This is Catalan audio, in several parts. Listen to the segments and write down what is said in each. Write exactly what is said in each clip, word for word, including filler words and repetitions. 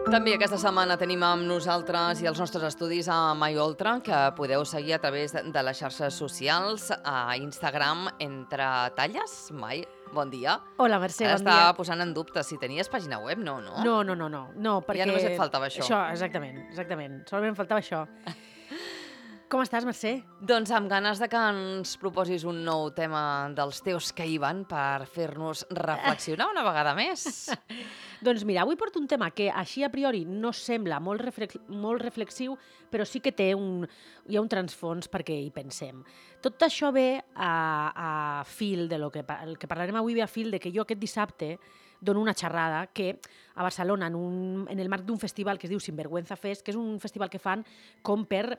També aquesta setmana tenim amb nosaltres i els nostres estudis a MyOltra, que podeu seguir a través de les xarxes socials, a Instagram, entre talles. Mai, bon dia. Hola, Mercè, Ara bon dia. estava posant en dubte si tenies pàgina web, no, no? No, no, no, no, no, perquè... Ja només et faltava això. Això, exactament, exactament. Solament em faltava això. Com estàs, Mercè? Doncs amb ganes de que ens proposis un nou tema dels teus que hi van per fer-nos reflexionar una vegada més. Doncs mira, avui porto un tema que així a priori no sembla molt, reflex molt reflexiu, però sí que té un, hi ha un transfons perquè hi pensem. Tot això ve a, a fil de lo que, el que parlarem avui, ve a fil de que jo aquest dissabte dono una xerrada que a Barcelona, en, un, en el marc d'un festival que es diu Sinvergüenza Fest, que és un festival que fan com per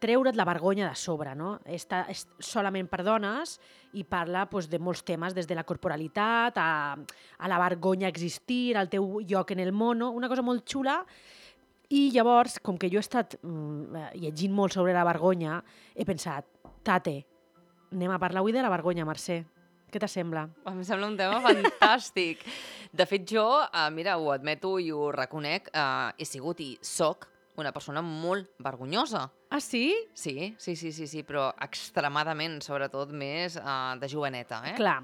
treure't la vergonya de sobre, no? Està, és solament per dones i parla doncs, de molts temes, des de la corporalitat a, a la vergonya existir, al teu lloc en el món, no? Una cosa molt xula. I llavors, com que jo he estat mm, llegint molt sobre la vergonya, he pensat, tate, anem a parlar avui de la vergonya, Mercè. Què t'assembla? Em sembla un tema fantàstic. De fet, jo, eh, mira, ho admeto i ho reconec, eh, he sigut i soc una persona molt vergonyosa. Ah, sí? Sí, sí, sí, sí, sí, però extremadament, sobretot més uh, de joveneta, eh? Clar,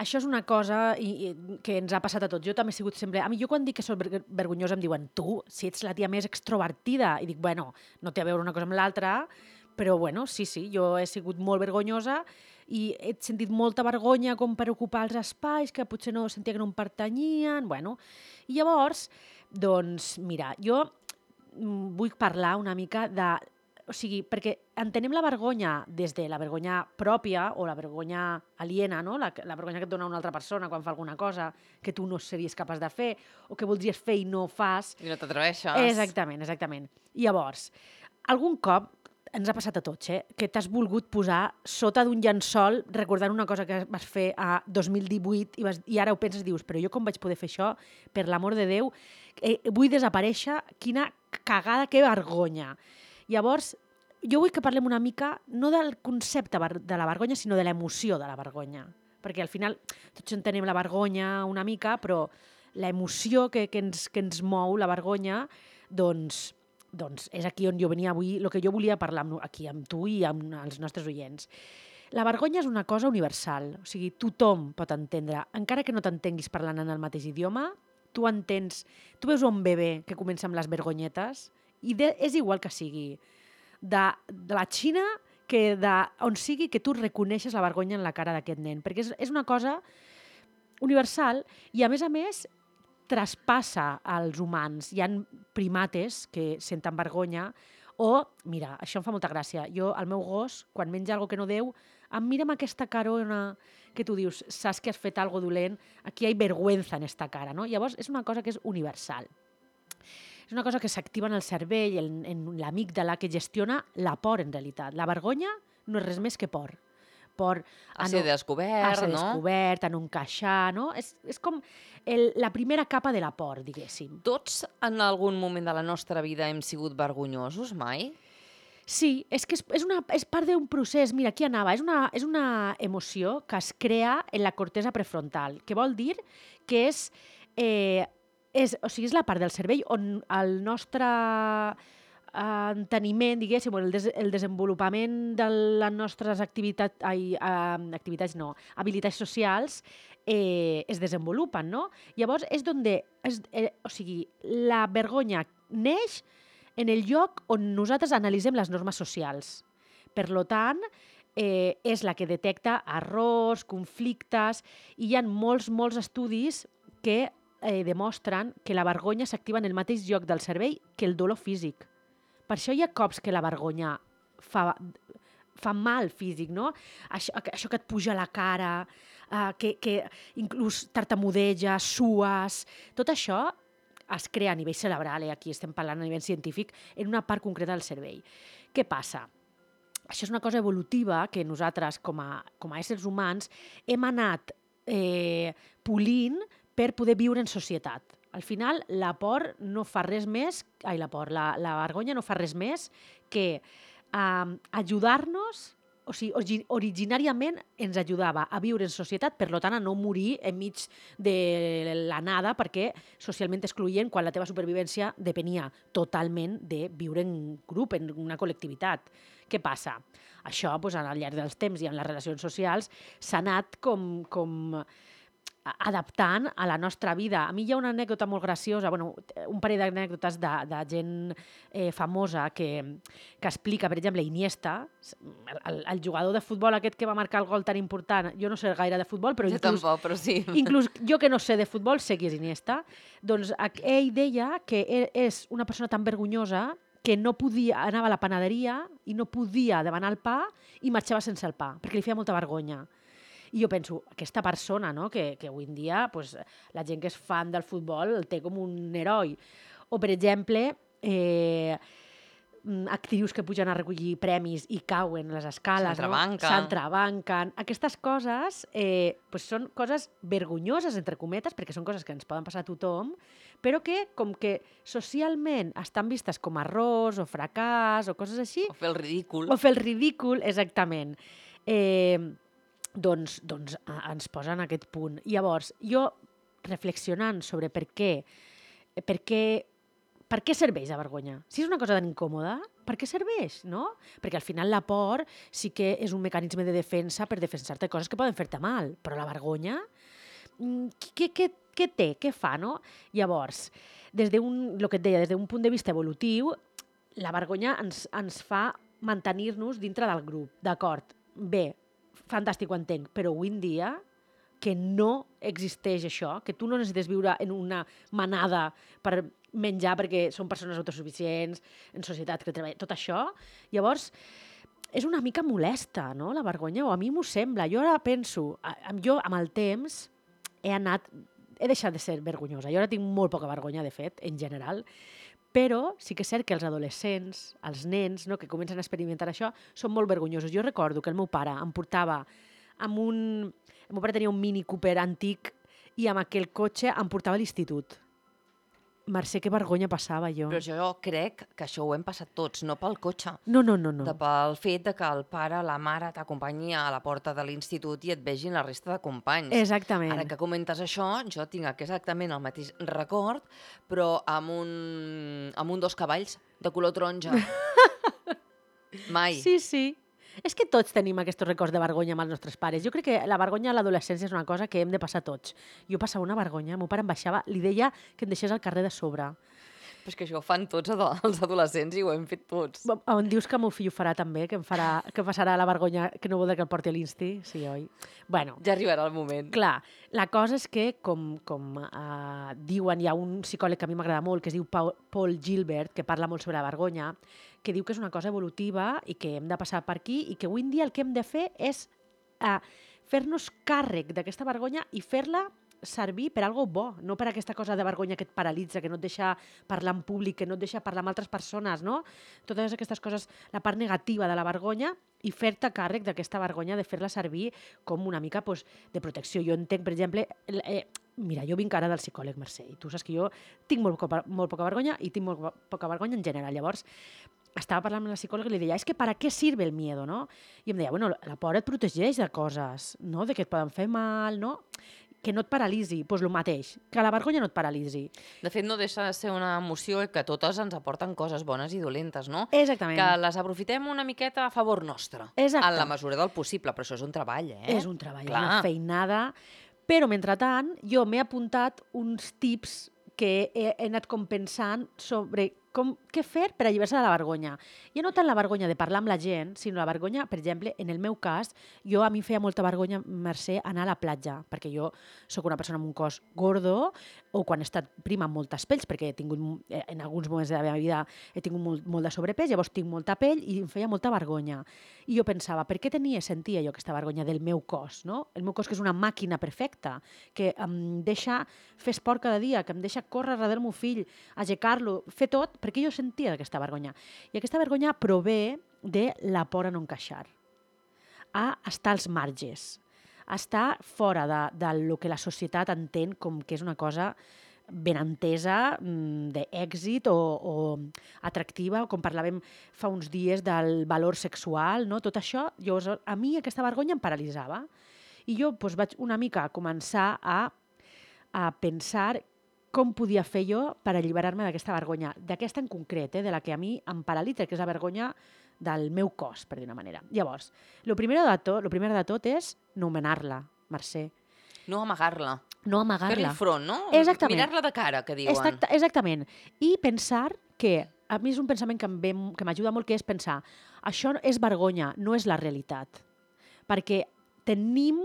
això és una cosa i, i, que ens ha passat a tots. Jo també he sigut sempre... A mi, jo quan dic que soc ver vergonyosa em diuen tu, si ets la tia més extrovertida. I dic, bueno, no té a veure una cosa amb l'altra, però bueno, sí, sí, jo he sigut molt vergonyosa i he sentit molta vergonya com per ocupar els espais que potser no sentia que no em pertanyien, bueno. I llavors, doncs, mira, jo vull parlar una mica de... O sigui, perquè entenem la vergonya des de la vergonya pròpia o la vergonya aliena, no? la, la vergonya que et dona una altra persona quan fa alguna cosa que tu no series capaç de fer o que voldries fer i no fas. I no t'atreveixes. Exactament, exactament. I llavors, algun cop ens ha passat a tots, eh? que t'has volgut posar sota d'un llençol recordant una cosa que vas fer a dos mil divuit i, vas, i ara ho penses i dius, però jo com vaig poder fer això? Per l'amor de Déu, eh, vull desaparèixer, quina cagada, que vergonya. Llavors, jo vull que parlem una mica no del concepte de la vergonya, sinó de l'emoció de la vergonya. Perquè al final tots entenem la vergonya una mica, però l'emoció que, que, ens, que ens mou, la vergonya, doncs, doncs és aquí on jo venia avui, el que jo volia parlar amb, aquí amb tu i amb els nostres oients. La vergonya és una cosa universal, o sigui, tothom pot entendre, encara que no t'entenguis parlant en el mateix idioma, tu entens, tu veus un bebè que comença amb les vergonyetes i de, és igual que sigui de, de la Xina que de on sigui que tu reconeixes la vergonya en la cara d'aquest nen, perquè és, és una cosa universal i a més a més traspassa als humans. Hi ha primates que senten vergonya o, mira, això em fa molta gràcia, jo, el meu gos, quan menja alguna que no deu, em mira amb aquesta carona que tu dius, saps que has fet alguna dolent, aquí hi ha vergüenza en esta cara, no? Llavors, és una cosa que és universal. És una cosa que s'activa en el cervell, en, en l'amígdala, que gestiona la por, en realitat. La vergonya no és res més que por. Por a, a ser no, descobert, a ser no? descobert, a no encaixar, no? És, és com el, la primera capa de la por, diguéssim. Tots en algun moment de la nostra vida hem sigut vergonyosos, mai? Sí, és que és, és, una, és part d'un procés. Mira, aquí anava. És una, és una emoció que es crea en la cortesa prefrontal, que vol dir que és... Eh, és, o sigui, és la part del cervell on el nostre eh, enteniment, diguéssim, el, des, el desenvolupament de les nostres activitats, ai, eh, activitats no, habilitats socials eh, es desenvolupen, no? Llavors, és on... És, eh, o sigui, la vergonya neix en el lloc on nosaltres analitzem les normes socials. Per tant, eh, és la que detecta errors, conflictes, i hi ha molts, molts estudis que eh, demostren que la vergonya s'activa en el mateix lloc del cervell que el dolor físic. Per això hi ha cops que la vergonya fa, fa mal físic, no? Això, això que et puja a la cara, eh, que, que inclús tartamudeja, sues, tot això es crea a nivell cerebral, eh? Aquí estem parlant a nivell científic, en una part concreta del cervell. Què passa? Això és una cosa evolutiva que nosaltres, com a, com a éssers humans, hem anat eh, polint per poder viure en societat. Al final, la por no fa res més, ai, la por, la, la vergonya no fa res més que eh, ajudar-nos, o o sigui, origi originàriament ens ajudava a viure en societat, per tant, a no morir enmig de la nada, perquè socialment excloent quan la teva supervivència depenia totalment de viure en grup, en una col·lectivitat. Què passa? Això, doncs, al llarg dels temps i en les relacions socials, s'ha anat com, com adaptant a la nostra vida. A mi hi ha una anècdota molt graciosa, bueno, un parell d'anècdotes de, de gent eh, famosa que, que explica, per exemple, Iniesta, el, el jugador de futbol aquest que va marcar el gol tan important. Jo no sé gaire de futbol, però Jo inclús, tampoc, però sí. inclús jo que no sé de futbol sé qui és Iniesta. Doncs ell deia que és una persona tan vergonyosa que no podia, anava a la panaderia i no podia demanar el pa i marxava sense el pa, perquè li feia molta vergonya. I jo penso, aquesta persona, no?, que, que avui en dia pues, la gent que és fan del futbol el té com un heroi. O, per exemple, eh, actrius que pugen a recollir premis i cauen les escales, S'entrebanquen. no? S'entrebanquen. Aquestes coses eh, pues són coses vergonyoses, entre cometes, perquè són coses que ens poden passar a tothom, però que, com que socialment estan vistes com a errors o fracàs o coses així... O fer el ridícul. O fer el ridícul, exactament. Eh, doncs, doncs ens posa en aquest punt. Llavors, jo, reflexionant sobre per què, per què, per què serveix la vergonya? Si és una cosa tan incòmoda, per què serveix, no? Perquè al final la por sí que és un mecanisme de defensa per defensar-te coses que poden fer-te mal, però la vergonya, què, què, què té, què fa, no? Llavors, des d'un, el que et deia, des d'un punt de vista evolutiu, la vergonya ens, ens fa mantenir-nos dintre del grup, d'acord? Bé, fantàstic, ho entenc, però avui en dia que no existeix això, que tu no necessites viure en una manada per menjar perquè són persones autosuficients, en societat que treballen, tot això, llavors és una mica molesta, no?, la vergonya, o a mi m'ho sembla. Jo ara penso, jo amb el temps he anat, he deixat de ser vergonyosa, jo ara tinc molt poca vergonya, de fet, en general, però sí que és cert que els adolescents, els nens, no, que comencen a experimentar això, són molt vergonyosos. Jo recordo que el meu pare em portava amb un... El meu pare tenia un Mini Cooper antic i amb aquell cotxe em portava a l'institut. Mercè, que vergonya passava jo. Però jo crec que això ho hem passat tots, no pel cotxe. No, no, no. no. De pel fet de que el pare, la mare t'acompanyi a la porta de l'institut i et vegin la resta de companys. Exactament. Ara que comentes això, jo tinc exactament el mateix record, però amb un, amb un dos cavalls de color taronja. Mai. Sí, sí. És que tots tenim aquests records de vergonya amb els nostres pares. Jo crec que la vergonya a l'adolescència és una cosa que hem de passar tots. Jo passava una vergonya, el meu pare em baixava, li deia que em deixés al carrer de sobre. Però és que això ho fan tots els adolescents i ho hem fet tots. On dius que el meu fill ho farà també, que em farà, que passarà la vergonya, que no voldrà que el porti a l'insti? Sí, oi? Bueno, ja arribarà el moment. Clar, la cosa és que, com, com uh, diuen, hi ha un psicòleg que a mi m'agrada molt, que es diu Paul Gilbert, que parla molt sobre la vergonya, que diu que és una cosa evolutiva i que hem de passar per aquí i que avui en dia el que hem de fer és uh, fer-nos càrrec d'aquesta vergonya i fer-la servir per algo bo, no per aquesta cosa de vergonya que et paralitza, que no et deixa parlar en públic, que no et deixa parlar amb altres persones, no? Totes aquestes coses, la part negativa de la vergonya i fer-te càrrec d'aquesta vergonya, de fer-la servir com una mica pues, de protecció. Jo entenc, per exemple, eh, mira, jo vinc ara del psicòleg, Mercè, i tu saps que jo tinc molt, molt poca vergonya i tinc molt poca vergonya en general. Llavors, estava parlant amb la psicòloga i li deia, és que ¿para qué sirve el miedo, no? I em deia, bueno, la por et protegeix de coses, no? De que et poden fer mal, no? Que no et paralitzi, doncs el mateix, que la vergonya no et paralitzi. De fet, no deixa de ser una emoció que totes ens aporten coses bones i dolentes, no? Exactament. Que les aprofitem una miqueta a favor nostre. Exacte. En la mesura del possible, però això és un treball, eh? És un treball, Clar. una feinada. Però, mentrestant, jo m'he apuntat uns tips que he, he anat com pensant sobre com, què fer per alliberar-se de la vergonya. I no tant la vergonya de parlar amb la gent, sinó la vergonya, per exemple, en el meu cas, jo a mi feia molta vergonya, Mercè, anar a la platja, perquè jo sóc una persona amb un cos gordo, o quan he estat prima amb moltes pells, perquè he tingut, en alguns moments de la meva vida he tingut molt, molt de sobrepès, llavors tinc molta pell i em feia molta vergonya. I jo pensava, per què tenia, sentia jo aquesta vergonya del meu cos, no? El meu cos que és una màquina perfecta, que em deixa fer esport cada dia, que em deixa córrer darrere del meu fill, aixecar-lo, fer tot, perquè jo sentia aquesta vergonya. I aquesta vergonya prové de la por a no encaixar, a estar als marges, a estar fora de, de lo que la societat entén com que és una cosa ben entesa, d'èxit o, o atractiva, com parlàvem fa uns dies del valor sexual, no? Tot això, llavors, a mi aquesta vergonya em paralitzava. I jo doncs, vaig una mica començar a, a pensar com podia fer jo per alliberar-me d'aquesta vergonya, d'aquesta en concret, eh, de la que a mi em paralitza, que és la vergonya del meu cos, per dir una manera. Llavors, el primer de tot, lo primer de tot és nomenar-la, Mercè. No amagar-la. No amagar-la. Fer-li front, no? Exactament. Mirar-la de cara, que diuen. Exacta, exactament. I pensar que, a mi és un pensament que em ve, que m'ajuda molt, que és pensar, això és vergonya, no és la realitat. Perquè tenim,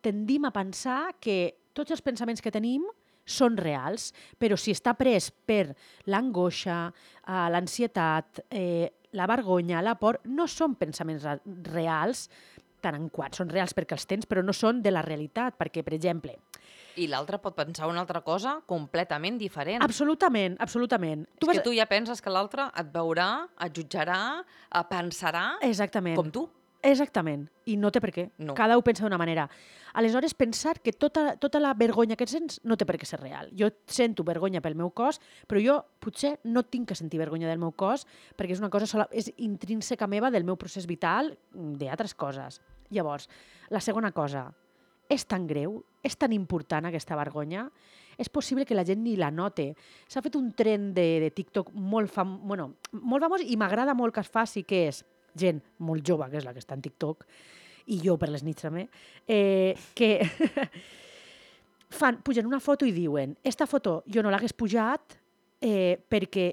tendim a pensar que tots els pensaments que tenim són reals, però si està pres per l'angoixa, eh, l'ansietat, eh, la vergonya, la por, no són pensaments reals, tant en quant són reals perquè els tens, però no són de la realitat, perquè, per exemple... I l'altre pot pensar una altra cosa completament diferent. Absolutament, absolutament. Tu és vas... que tu ja penses que l'altre et veurà, et jutjarà, et pensarà Exactament. Com tu. Exactament, i no té per què. No. Cada un pensa d'una manera. Aleshores, pensar que tota, tota la vergonya que sents no té per què ser real. Jo sento vergonya pel meu cos, però jo potser no tinc que sentir vergonya del meu cos perquè és una cosa sola, és intrínseca meva del meu procés vital, d'altres coses. Llavors, la segona cosa, és tan greu, és tan important aquesta vergonya, és possible que la gent ni la note. S'ha fet un tren de, de TikTok molt, fam, bueno, molt famós i m'agrada molt que es faci, que és gent molt jove, que és la que està en TikTok, i jo per les nits també, eh, que fan, pugen una foto i diuen esta foto jo no l'hagués pujat eh, perquè,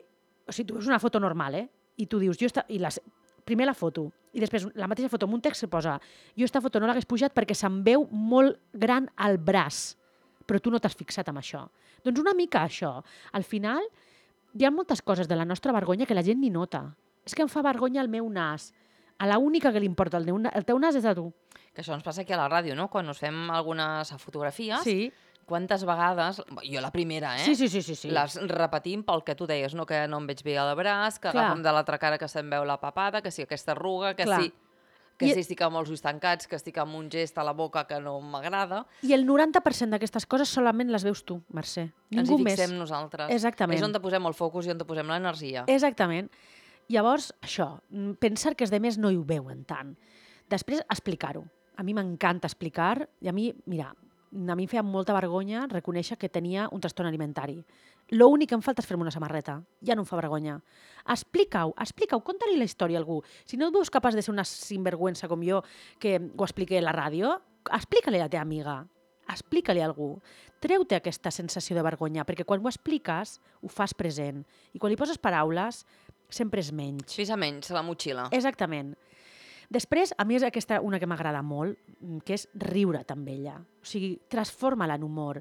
o sigui, tu veus una foto normal, eh? I tu dius, jo esta, i la, primer la foto, i després la mateixa foto amb un text se posa, jo esta foto no l'hagués pujat perquè se'm veu molt gran al braç, però tu no t'has fixat en això. Doncs una mica això. Al final, hi ha moltes coses de la nostra vergonya que la gent ni nota. És que em fa vergonya el meu nas. A la única que li importa el, el teu nas és a tu. Que això ens passa aquí a la ràdio, no? Quan us fem algunes fotografies, sí. Quantes vegades, jo la primera, eh? Sí, sí, sí, sí, sí. Les repetim pel que tu deies, no? Que no em veig bé al braç, que Clar. agafa'm de l'altra cara que se'm veu la papada, que sí aquesta arruga, que Clar. sí... que I... sí estic amb els ulls tancats, que estic amb un gest a la boca que no m'agrada. I el noranta per cent d'aquestes coses solament les veus tu, Mercè. Ningú Ens hi fixem més. nosaltres. Exactament. És on te posem el focus i on te posem l'energia. Exactament. Llavors, això, pensar que els demés no hi ho veuen tant. Després, explicar-ho. A mi m'encanta explicar, i a mi, mira, a mi em feia molta vergonya reconèixer que tenia un trastorn alimentari. L'únic que em falta és fer-me una samarreta. Ja no em fa vergonya. Explica-ho, explica-ho, conta-li la història a algú. Si no et veus capaç de ser una sinvergüenza com jo, que ho expliqué a la ràdio, explica-li a la teva amiga. Explica-li a algú. Treu-te aquesta sensació de vergonya, perquè quan ho expliques, ho fas present. I quan li poses paraules, sempre és menys. Pesa menys la motxilla. Exactament. Després, a mi és aquesta una que m'agrada molt, que és riure amb ella. O sigui, transforma-la en humor.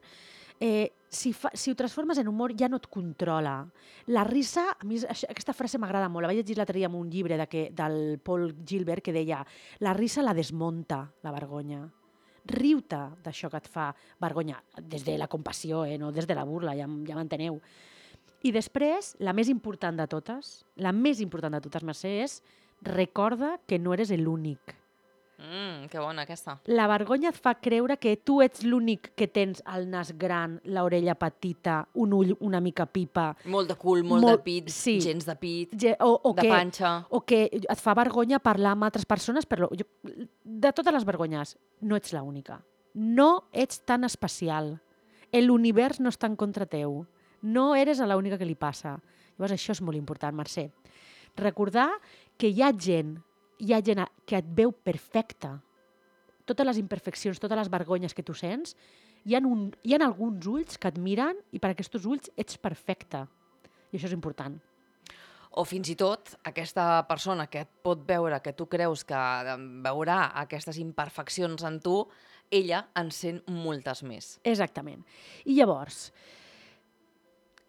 Eh, si, fa, si ho transformes en humor, ja no et controla. La risa, a mi aquesta frase m'agrada molt. La vaig llegir l'altre dia en un llibre de que, del Paul Gilbert que deia la risa la desmunta, la vergonya. Riu-te d'això que et fa vergonya, des de la compassió, eh, no des de la burla, ja, ja m'enteneu. I després, la més important de totes, la més important de totes, Mercè, és recorda que no eres l'únic. Mm, que bona aquesta. La vergonya et fa creure que tu ets l'únic que tens el nas gran, l'orella petita, un ull una mica pipa. Molt de cul, molt, molt de pit, sí. gens de pit, Ge o, o de que, panxa. O que et fa vergonya parlar amb altres persones. Però jo, de totes les vergonyes, no ets l'única. No ets tan especial. L'univers no està en contra teu. No eres l'única que li passa. Llavors això és molt important, Mercè. Recordar que hi ha gent, hi ha gent que et veu perfecta. Totes les imperfeccions, totes les vergonyes que tu sents, hi ha, un, hi ha alguns ulls que et miren i per aquests ulls ets perfecta. I això és important. O fins i tot aquesta persona que et pot veure, que tu creus que veurà aquestes imperfeccions en tu, ella en sent moltes més. Exactament. I llavors,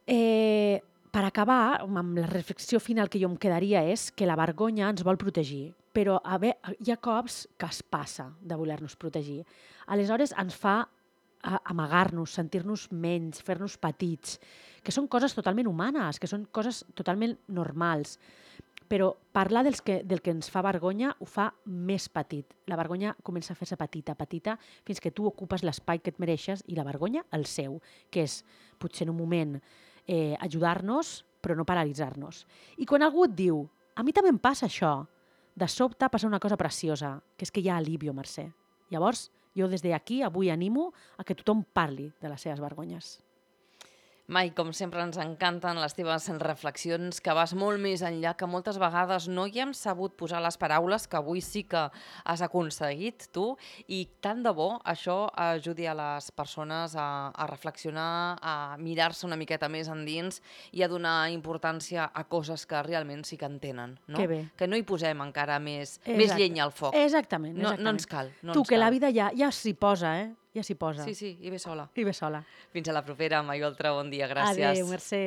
eh, per acabar, amb la reflexió final que jo em quedaria és que la vergonya ens vol protegir, però a ve, hi ha cops que es passa de voler-nos protegir. Aleshores ens fa amagar-nos, sentir-nos menys, fer-nos petits, que són coses totalment humanes, que són coses totalment normals. però parlar dels que, del que ens fa vergonya ho fa més petit. La vergonya comença a fer-se petita, petita, fins que tu ocupes l'espai que et mereixes i la vergonya el seu, que és, potser en un moment, eh, ajudar-nos, però no paralitzar-nos. I quan algú et diu, a mi també em passa això, de sobte passa una cosa preciosa, que és que hi ha alivio, Mercè. Llavors, jo des d'aquí avui animo a que tothom parli de les seves vergonyes. Mai, com sempre, ens encanten les teves reflexions, que vas molt més enllà, que moltes vegades no hi hem sabut posar les paraules, que avui sí que has aconseguit tu, i tant de bo això ajudi a les persones a, a reflexionar, a mirar-se una miqueta més endins i a donar importància a coses que realment sí que en tenen. No? Que bé. Que no hi posem encara més, Exacte. més llenya al foc. Exactament, No, exactament. no ens cal. No tu, ens que cal. la vida ja, ja s'hi posa, eh? Ja s'hi posa. Sí, sí, i ve sola. I ve sola. Fins a la propera, Mai Oltra, bon dia, gràcies. Adéu, Mercè.